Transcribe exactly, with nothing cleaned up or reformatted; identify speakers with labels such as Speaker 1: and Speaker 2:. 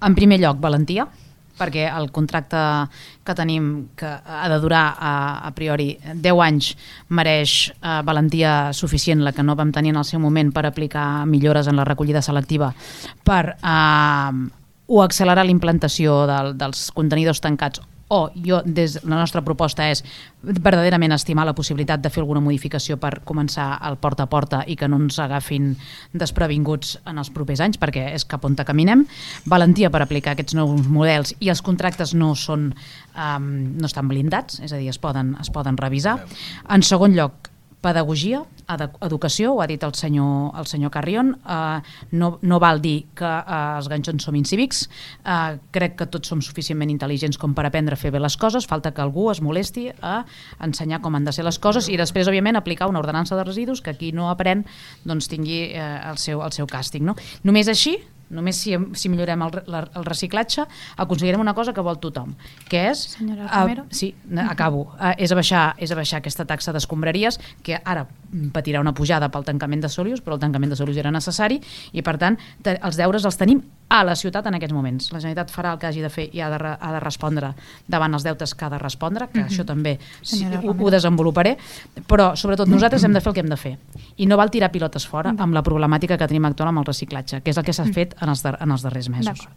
Speaker 1: En primer lloc, valentia, perquè el contracte que tenim, que ha de durar a, a priori deu anys, mereix eh, valentia suficient, la que no vam tenir en el seu moment per aplicar millores en la recollida selectiva, per eh, o accelerar la implantació del, dels contenidors tancats, o jo, des la nostra proposta és verdaderament estimar la possibilitat de fer alguna modificació per començar el porta a porta i que no ens agafin desprevinguts en els propers anys, perquè és cap on caminem. Valentia per aplicar aquests nous models, i els contractes no són um, no estan blindats, és a dir, es poden, es poden revisar. En segon lloc, pedagogia, educació, ho ha dit el senyor, el senyor Carrion, eh, no, no val dir que eh, els ganxons som incívics, eh, crec que tots som suficientment intel·ligents com per aprendre a fer bé les coses, falta que algú es molesti a ensenyar com han de ser les coses i després, òbviament, aplicar una ordenança de residus que qui no aprèn doncs, tingui eh, el, seu, el seu càstig. No? Només així, només si, si millorem el, el reciclatge, aconseguirem una cosa que vol tothom, que és...
Speaker 2: Senyora Romero?
Speaker 1: Uh, sí, acabo. Uh, és, abaixar, és abaixar aquesta taxa d'escombraries, que ara patirà una pujada pel tancament de Solius, però el tancament de Solius era necessari, i per tant, te, els deures els tenim a la ciutat en aquests moments. La Generalitat farà el que hagi de fer i ha de, ha de respondre davant els deutes que ha de respondre, que mm-hmm. això també sí, ho, ho desenvoluparé, però sobretot nosaltres hem de fer el que hem de fer. I no val tirar pilotes fora amb la problemàtica que tenim actual amb el reciclatge, que és el que s'ha fet en els, dar en els darrers mesos.